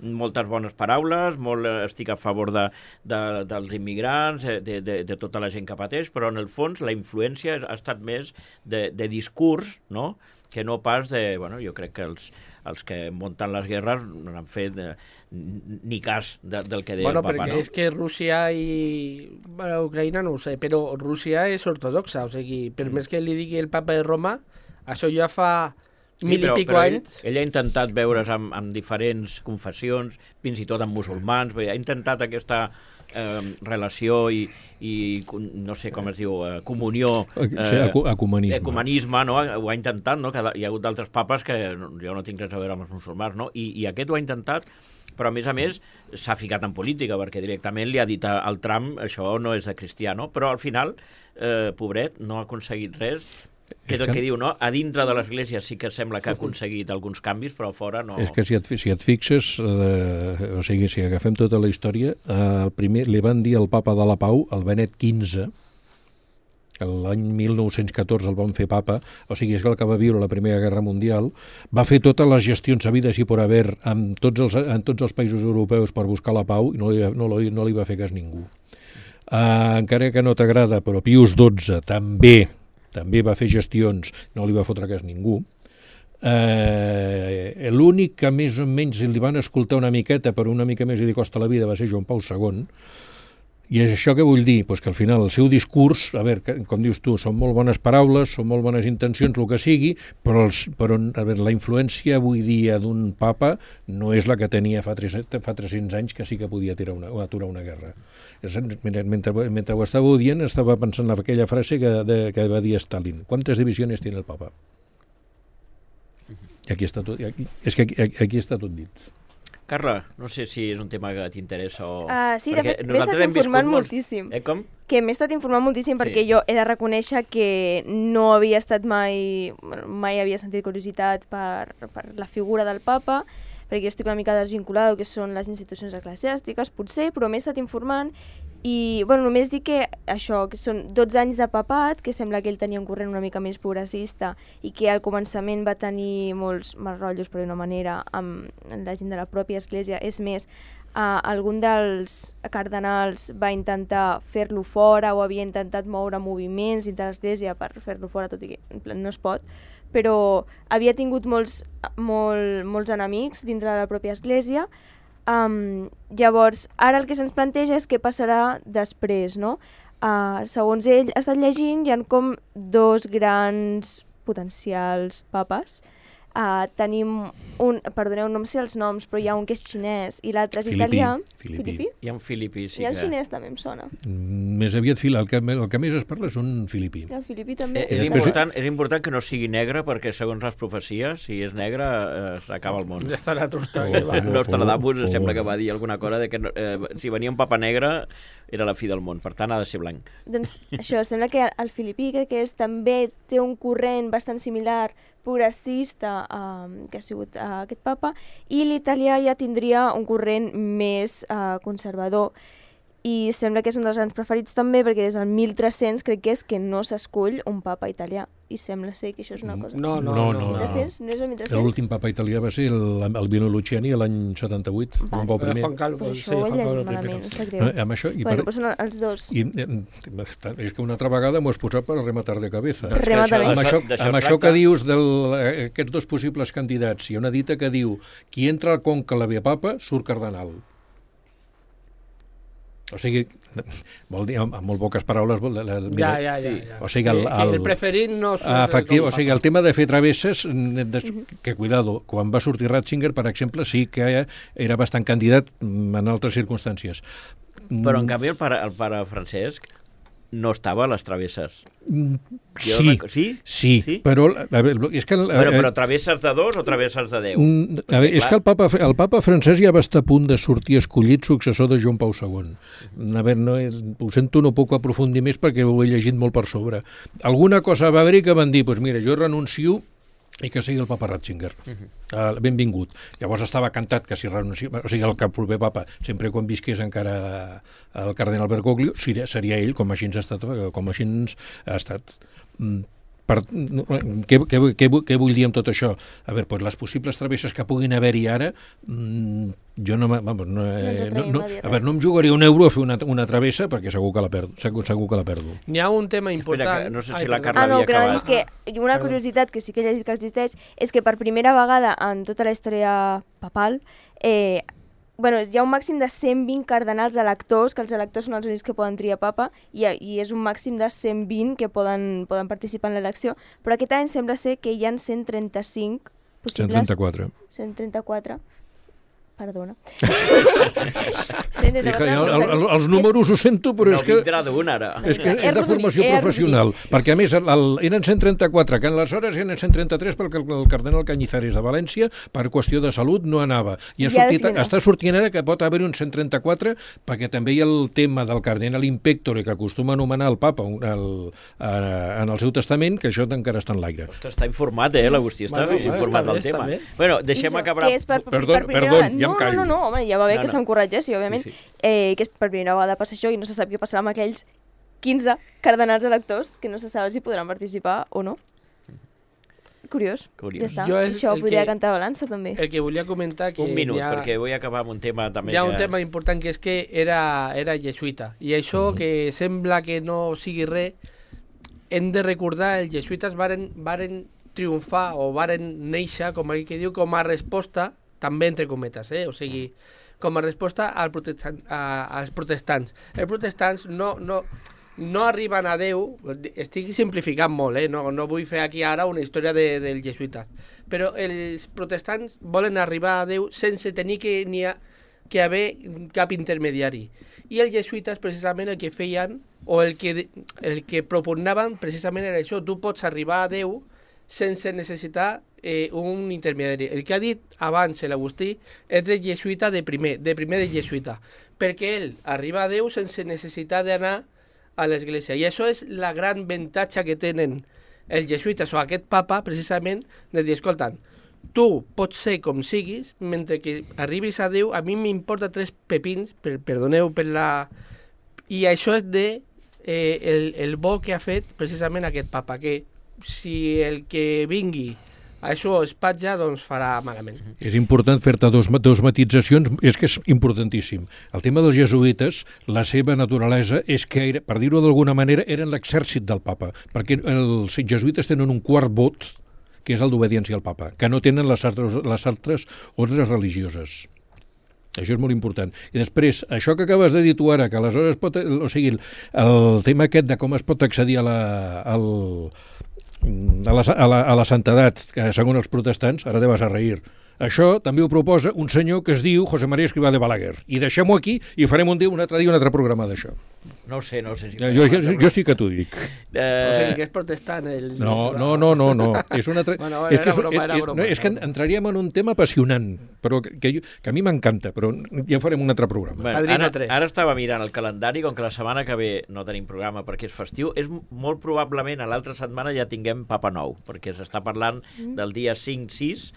moltes bones paraules, molt estic a favor de, de, dels immigrants, de, de, de tota la gent que pateix, però en el fons la influència ha estat més de, de discurs, no?, que no pas de... Bueno, jo crec que els, els que munten les guerres no han fet eh, ni cas de, del que deia bueno, el papa, perquè no? és que Rússia i bueno, Ucraïna no ho sé, però Rússia és ortodoxa, o sigui, per mm. més que li digui el papa de Roma, això ja fa mil sí, però, i pico però anys. Ell, ell ha intentat veure's amb, amb diferents confessions, fins i tot amb musulmans, ha intentat aquesta eh, relació i, i no sé com es diu, eh, comunió, eh, sí, ecumenisme. ecumenisme, no? Ho ha intentat, no? Que hi ha hagut d'altres papes que jo no tinc res a veure amb els musulmans, no? I, i aquest ho ha intentat, però a més a més s'ha ficat en política, perquè directament li ha dit al Trump això no és de cristià, no? Però al final, eh, pobret, no ha aconseguit res, que és el que diu, no? A dintre de l'Església sí que sembla que ha aconseguit alguns canvis, però a fora no... És que si et, si et fixes, eh, o sigui, si agafem tota la història, eh, primer li van dir al papa de la Pau, el Benet quinze, l'any mil nou-cents catorze el van fer papa, o sigui, és el que va viure la Primera Guerra Mundial, va fer totes les gestions havides i por haver en tots els, en tots els països europeus per buscar la pau i no li, no, no li va fer cas ningú. Uh, encara que no t'agrada, però Pius dotze també també va fer gestions, no li va fotre cas ningú. Eh, l'únic que més o menys li van escoltar una miqueta, però una mica més li costa la vida, va ser Joan Pau segon. I és això que vull dir, pues que al final el seu discurs, a veure, com dius tu, són molt bones paraules, són molt bones intencions, el que sigui, però, els, però a veure, la influència avui dia d'un papa no és la que tenia fa, tres, fa tres-cents anys, que sí que podia tirar una, aturar una guerra. Mentre, mentre ho estava dient, estava pensant en aquella frase que, de, que va dir Stalin. ¿Cuántas divisiones tiene el papa? I aquí està tot, aquí, és que aquí, aquí està tot dit. Carla, no sé si és un tema que t'interessa o... Uh, sí, de fet, m'he estat informant molts... moltíssim. Eh, com? Que m'he estat informant moltíssim Sí. perquè jo he de reconèixer que no havia estat mai... mai havia sentit curiositat per, per la figura del papa, perquè jo estic una mica desvinculada del que són les institucions eclesiàstiques, potser, però m'he estat informant i, bueno, només dic que això, que són dotze anys de papat, que sembla que ell tenia un corrent una mica més progressista i que al començament va tenir molts mal rotllos, per una manera, amb la gent de la pròpia església. És més, uh, algun dels cardenals va intentar fer-lo fora o havia intentat moure moviments dintre l'església per fer-lo fora, tot i que en plan, no es pot, però havia tingut molts, molt, molts enemics dintre de la pròpia església. Um, llavors, ara el que se'ns planteja és què passarà després, no? Uh, segons ell, ha estat llegint, hi ha com dos grans potencials papes. Uh, tenim un, perdoneu, no em sé els noms, però hi ha un que és xinès i l'altre és Filipí, italià. Filipí. Hi ha un filipí, sí I el que... xinès també em sona. Mm, Més aviat fil, el que, el que més es parla és un filipí. I el filipí Eh, també. és, després- important, és important que no sigui negre perquè, segons les profecies, si és negre, eh, s'acaba el món. Ja estarà trustat. Oh, que va. oh, Nostradamus oh, oh. sembla que va dir alguna cosa de que eh, si venia un papa negre era la fi del món, per tant ha de ser blanc. Doncs això, sembla que el filipí crec que és, també té un corrent bastant similar progressista uh, que ha sigut uh, aquest papa, i l'italià ja tindria un corrent més uh, conservador. I sembla que és un dels grans preferits també perquè des del mil tres-cents crec que és que no s'escull un papa italià. I sembla ser que això és una cosa... No, no, No, no. no, no. mil tres-cents? No és el mil tres-cents? L'últim papa italià va ser el, el Vino Luciani l'any setanta-vuit, Joan Pau Eh, I. Juan Carlos, Pues sí, això ho he Juan Carlos llegit I. malament, em sap Eh, greu. Amb això, i, Bueno, per, però són els dos. i eh, és que una altra vegada m'ho has posat per rematar de cabeza. Doncs que Remata això- bé. Amb això, d'això es amb això tracta. que dius d'aquests dos possibles candidats, hi ha una dita que diu qui entra al conca la ve papa surt cardenal. O sigui, vol dir, amb, amb molt poques paraules... Vol, la, la, Ja, mira, ja, ja. sí. ja. O sigui, el- Que- que el- el preferit no... surt Ah, efectiu, com o sigui, el papa. tema de fer travesses, mm, des, que cuidado, quan va sortir Ratzinger, per exemple, sí que era bastant candidat mm, en altres circumstàncies. Però, en canvi, el pare, el pare Francesc no estava a les travesses. Mm, Jo Sí, rec- sí? sí, Sí? però a veure, és que... Bueno, eh, però travesses de dos o travesses de deu? Mm, a veure, és que el papa, el papa francès ja va estar a punt de sortir escollit successor de Joan Pau segon. A veure, no, ho sento, no puc aprofundir més perquè ho he llegit molt per sobre. Alguna cosa va haver-hi que van dir, doncs mira, jo renuncio i que sigui el papa Ratzinger. Uh -huh. uh, benvingut. Llavors estava cantat que si renuncia, o sigui, el, que el proper papa, sempre quan visqués encara el cardenal Bergoglio, seria, seria ell, com així ens ha estat, com així ens ha estat. Mm, per, què, què, què, què vull dir amb tot això? A veure, doncs les possibles travesses que puguin haver-hi ara, mmm, jo no, vamos, no, ens eh, no, atrevim no, a dir a veure, res. no em jugaria un euro a fer una, una travessa perquè segur que la perdo, segur, segur que la perdo. N'hi ha un tema important... Espera, que no sé si Ai, la perdó. Carla Ah, no, havia que anava a acabat. dir és que una perdó. curiositat que sí que he llegit que existeix és que per primera vegada en tota la història papal eh, bueno, hi ha un màxim de cent vint cardenals electors, que els electors són els únics que poden triar papa, i, i és un màxim de cent vint que poden, poden participar en l'elecció, però aquest any sembla ser que hi ha cent trenta-cinc cent possibles... trenta-quatre. cent trenta-quatre. Perdona. Dic, el, el, el, els números ho sento, però No és que... vindrà d'un, ara. És que He és de arrodonit, formació he arrodonit. professional, perquè a més el, el, eren cent trenta-quatre, que aleshores eren cent trenta-tres perquè el, el cardenal Cañizares de València, per qüestió de salut, no anava. I ha I ara sortit, sí vindrà. està sortint ara que pot haver un cent trenta-quatre, perquè també hi ha el tema del cardenal impectore, que acostuma a anomenar el papa un- el, eh, en el seu testament, que això encara està en l'aire. Ostres, està informat, eh, l'Agustí, està Bueno, ben sí, informat està del bé, tema. està bé. Bueno, I deixem això, acabar... que és per, Perdó, per primera perdó, vegada- ja em no, callo. No, no, no, home, ja va bé No, que no. se'm corregeixi, òbviament. Sí, sí. Eh, que és per primera vegada passa això i no se sap què passarà amb aquells quinze cardenals electors que no se sap si podran participar o no. Curiós. Curiós. Ja està. Jo és Això el podria que- cantar a balança, també. El que volia comentar... Que Un minut, hi ha, perquè vull acabar amb un tema també hi ha que... un tema important que és que era, era jesuïta. I això, que sembla que no sigui res, hem de recordar, els jesuïtes varen, varen triomfar o varen néixer, com aquell que diu, com a resposta, també entre cometes, eh? O sigui, com a resposta al protestant, a, als protestants. Els protestants no, no, no arriben a Déu, estic simplificant molt, eh? no, no vull fer aquí ara una història de, del jesuïta, però els protestants volen arribar a Déu sense tenir que, ni a, que haver cap intermediari. I els jesuïtes precisament el que feien, o el que, el que propugnaven precisament era això, tu pots arribar a Déu sense necessitar eh, un intermediari. El que ha dit abans l'Agustí és de jesuïta de primer, de primer de jesuïta, perquè ell arriba a Déu sense necessitar d'anar a l'església. I això és la gran avantatge que tenen els jesuïtes o aquest papa, precisament, de dir, escolta, tu pots ser com siguis, mentre que arribis a Déu, a mi m'importa tres pepins, per, perdoneu per la... I això és de eh, el, el bo que ha fet precisament aquest papa, que si el que vingui a això espatja, doncs farà malament. És important fer-te dos, dos matitzacions, és que és importantíssim. El tema dels jesuïtes, la seva naturalesa és que, era, per dir-ho d'alguna manera, eren l'exèrcit del papa, perquè els jesuïtes tenen un quart vot, que és el d'obediència al papa, que no tenen les altres, les altres ordres religioses. Això és molt important. I després, això que acabes de dir tu ara, que aleshores pot... O sigui, el, el tema aquest de com es pot accedir a la, al, a la, a la, a la santedat, que segons els protestants, ara te vas a reir. Això també ho proposa un senyor que es diu José María Escrivá de Balaguer. I deixem-ho aquí i farem un dia, un altre dia un altre programa d'això. No ho sé, no ho sé. Si jo, jo, jo sí que t'ho dic. Eh... O sigui que és protestant. El... No, no, no, no, no. És una altra... bueno, és que és, broma, és, és, broma, no, és que entraríem en un tema apassionant, però que, que, que a mi m'encanta, però ja farem un altre programa. Bueno, ara, ara estava mirant el calendari, com que la setmana que ve no tenim programa perquè és festiu, és molt probablement a l'altra setmana ja tinguem Papa Nou, perquè s'està parlant mm. del dia cinc sis,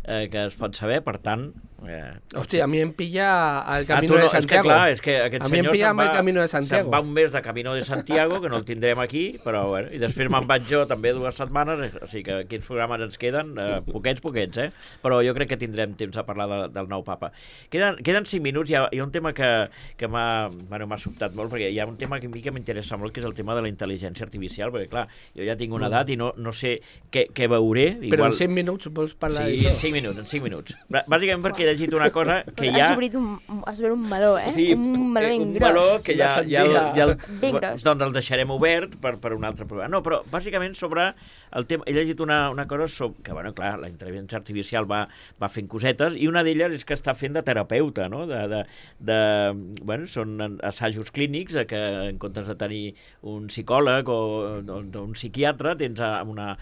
eh, que es pot saber, per tant... Eh, Hòstia, a mi em pilla el Camino ah, no, de Santiago. És que, clar, és que aquest a mi em pilla va, el Camino de Santiago. Se'n va un mes de Camino de Santiago, que no el tindrem aquí, però bueno, i després me'n vaig jo també dues setmanes, o sigui que quins programes ens queden, eh, poquets, poquets, eh? Però jo crec que tindrem temps a parlar de, del nou papa. Queden, queden cinc minuts, hi ha, hi ha un tema que, que m'ha bueno, sobtat molt, perquè hi ha un tema que a mi que m'interessa molt, que és el tema de la intel·ligència artificial, perquè clar, jo ja tinc una edat i no, no sé què, què veuré. Igual... Però en cinc minuts vols parlar sí, d'això? Sí, en cinc minuts, en cinc minuts. Bàsicament perquè he llegit una cosa que ja... Has obrit un, has obert un meló, eh? Sí, un meló ben un gros. meló que ja, ja, ja, ja el, ben gros. Doncs el deixarem obert per, per un altre programa. No, però bàsicament sobre el tema... He llegit una, una cosa sobre, que, bueno, clar, la intel·ligència artificial va, va fent cosetes i una d'elles és que està fent de terapeuta, no? De, de, de, bueno, són assajos clínics que en comptes de tenir un psicòleg o, o, o un psiquiatre tens una...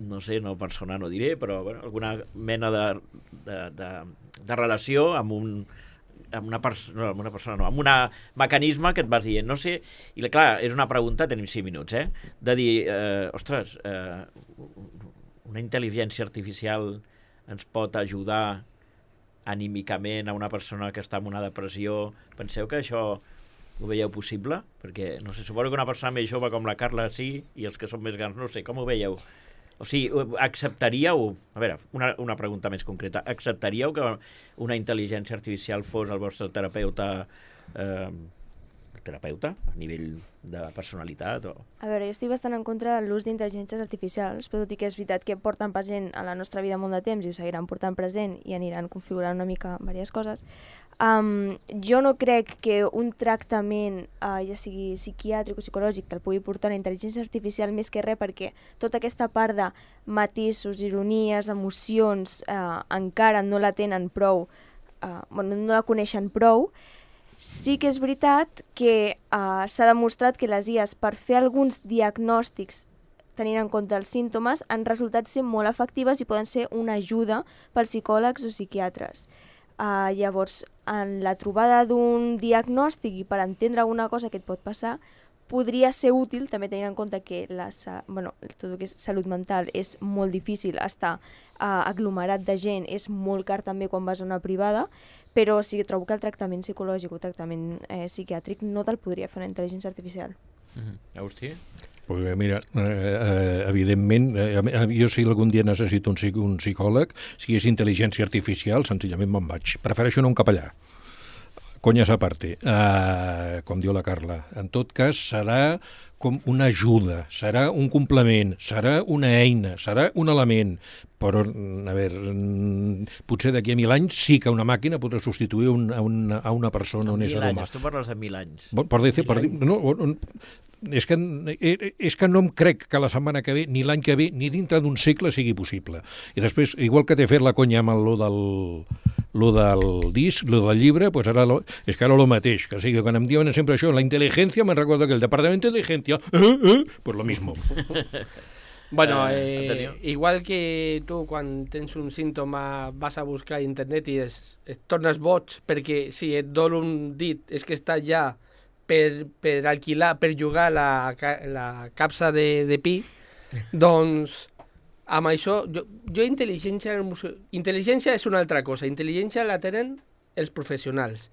no sé, no persona no diré, però bueno, alguna mena de, de, de, de relació amb un amb una, pers no, amb una persona, no, amb un mecanisme que et vas dient, no sé, i clar, és una pregunta, tenim cinc minuts, eh, de dir, eh, ostres, eh, una intel·ligència artificial ens pot ajudar anímicament a una persona que està en una depressió, penseu que això ho veieu possible? Perquè, no sé, suposo que una persona més jove com la Carla sí, i els que són més grans, no sé, com ho veieu? O sigui, acceptaríeu, a veure, una, una pregunta més concreta, acceptaríeu que una intel·ligència artificial fos el vostre terapeuta, eh, el terapeuta a nivell de personalitat? O... A veure, jo estic bastant en contra de l'ús d'intel·ligències artificials, però tot i que és veritat que porten present a la nostra vida molt de temps i ho seguiran portant present i aniran configurant una mica diverses coses. Um, jo no crec que un tractament, uh, ja sigui psiquiàtric o psicològic, te'l pugui portar una intel·ligència artificial més que res, perquè tota aquesta part de matisos, ironies, emocions, uh, encara no la tenen prou, uh, bueno, no la coneixen prou. Sí que és veritat que uh, s'ha demostrat que les I As, per fer alguns diagnòstics tenint en compte els símptomes, han resultat ser molt efectives i poden ser una ajuda pels psicòlegs o psiquiatres. Uh, llavors, en la trobada d'un diagnòstic i per entendre alguna cosa que et pot passar, podria ser útil, també tenint en compte que la, bueno, tot el que és salut mental és molt difícil, estar uh, aglomerat de gent és molt car també quan vas a una privada, però sí que trobo que el tractament psicològic o tractament eh, psiquiàtric no te'l podria fer una intel·ligència artificial. Mm-hmm. Agustí? Pues mira, eh, eh, evidentment, eh, jo si algun dia necessito un, un psicòleg, si és intel·ligència artificial, senzillament me'n vaig. Prefereixo no un capellà. Conyes a parte, eh, com diu la Carla. En tot cas, serà com una ajuda, serà un complement, serà una eina, serà un element, però, a veure, potser d'aquí a mil anys sí que una màquina podrà substituir un, a, una, a una persona, un ésser humà. Tu parles de mil anys. Per, per dir, per dir, no, és que, és que no em crec que la setmana que ve, ni l'any que ve, ni dintre d'un segle sigui possible. I després, igual que t'he fet la conya amb lo del, lo del disc, lo del llibre, pues ara lo, és que ara lo mateix, que sigui, quan em diuen sempre això, la intel·ligència, me'n recordo que el departament d'intel·ligència, eh, eh, pues lo mismo. Bueno, eh, igual que tu quan tens un símptoma vas a buscar a internet i es, et tornes boig perquè si et dol un dit és que està ja per, per alquilar, per llogar la, la capsa de, de pi, doncs amb això, jo, jo intel·ligència, intel·ligència és una altra cosa, intel·ligència la tenen els professionals.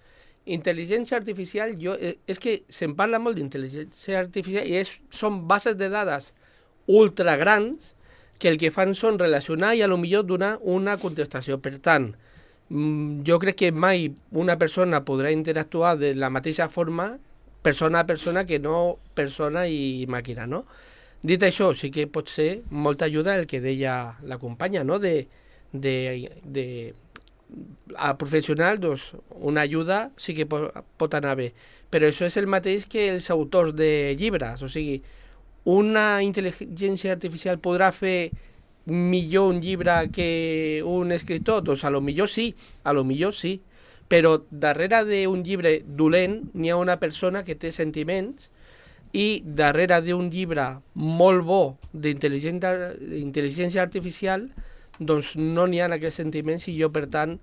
Intel·ligència artificial, jo, és que se'n parla molt d'intel·ligència artificial i és, són bases de dades ultra grans que el que fan són relacionar i a lo millor donar una contestació. Per tant, jo crec que mai una persona podrà interactuar de la mateixa forma persona a persona que no persona i màquina, no? Dit això, sí que pot ser molta ajuda el que deia la companya, no? De, de, de, a professional, doncs, una ajuda sí que pot, pot anar bé. Però això és el mateix que els autors de llibres, o sigui, una intel·ligència artificial podrà fer millor un llibre que un escriptor? Doncs a lo millor sí, a lo millor sí. Però darrere d'un llibre dolent n'hi ha una persona que té sentiments i darrere d'un llibre molt bo d'intel·ligència artificial doncs no n'hi ha aquests sentiments i jo, per tant,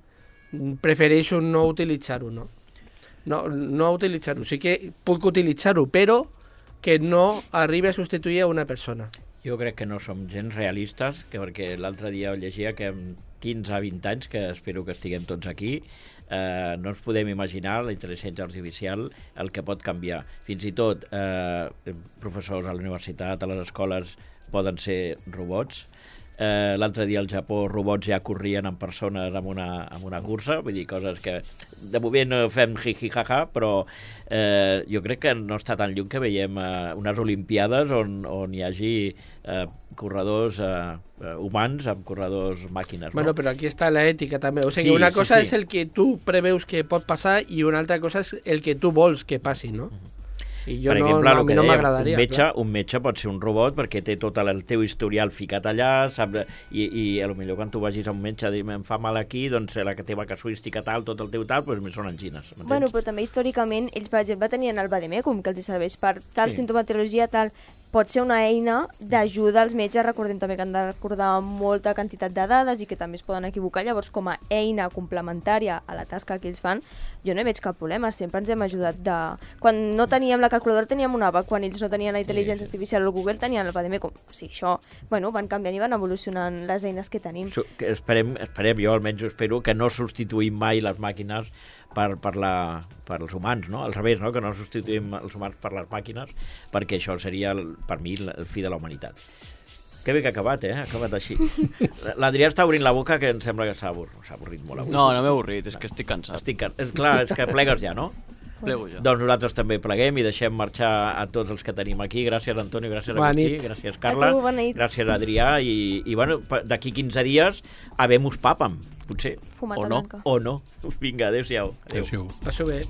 prefereixo no utilitzar-ho, no? No, no utilitzar-ho. Sí que puc utilitzar-ho, però que no arribi a substituir a una persona. Jo crec que no som gens realistes, que perquè l'altre dia llegia que amb quinze a vint anys, que espero que estiguem tots aquí, eh, no ens podem imaginar la intel·ligència artificial el que pot canviar. Fins i tot eh, professors a la universitat, a les escoles, poden ser robots. Eh, l'altre dia al Japó robots ja corrien en persones amb una, amb una cursa, vull dir, coses que de moment no fem jiji-jaja, però eh, jo crec que no està tan lluny que veiem eh, unes olimpiades on, on hi hagi eh, corredors eh, humans amb corredors màquines, no? Bueno, però aquí està la ètica també, o sigui, Sí, una sí, cosa sí. és el que tu preveus que pot passar i una altra cosa és el que tu vols que passi, no? I jo Per no, exemple, no, a el mi que no dèiem, m'agradaria. un metge, un metge pot ser un robot perquè té tot el teu historial ficat allà, sap, i, i a lo millor quan tu vagis a un metge i em fa mal aquí, doncs la teva casuística tal, tot el teu tal, doncs són angines. m'entens? Bueno, però també històricament ells, per exemple, tenien el vademecum, que els hi serveix per tal Sí. sintomatologia, tal. Pot ser una eina d'ajuda als metges, recordem també que han de recordar molta quantitat de dades i que també es poden equivocar, llavors com a eina complementària a la tasca que ells fan, jo no hi veig cap problema, sempre ens hem ajudat de... Quan no teníem la calculadora teníem una app, quan ells no tenien la intel·ligència Sí, sí. artificial o Google tenien el vademecum. O sigui, això, bueno, van canviant i van evolucionant les eines que tenim. Su- que Esperem, esperem, jo almenys ho espero, que no substituïm mai les màquines per, per, la, per els humans, no? Al revés, no? Que no substituïm els humans per les màquines, perquè això seria, el, per mi, el fi de la humanitat. Que bé que ha acabat, eh? Ha acabat així. L'Adrià està obrint la boca, que em sembla que s'ha abur... s'ha avorrit molt avui. No, no m'he avorrit, és que estic cansat. Estic... can- És clar, és que plegues ja, no? Plego ja. Doncs nosaltres també pleguem i deixem marxar a tots els que tenim aquí. Gràcies, Antonio, gràcies, Bona Agustí, nit. gràcies, Carla, A tu, bona nit. gràcies, Adrià, i, i bueno, pa- d'aquí quinze dies habemus papam, potser, Fumata O no. blanca. o no. Vinga, adéu-siau. Adéu. Adéu. Passo bé.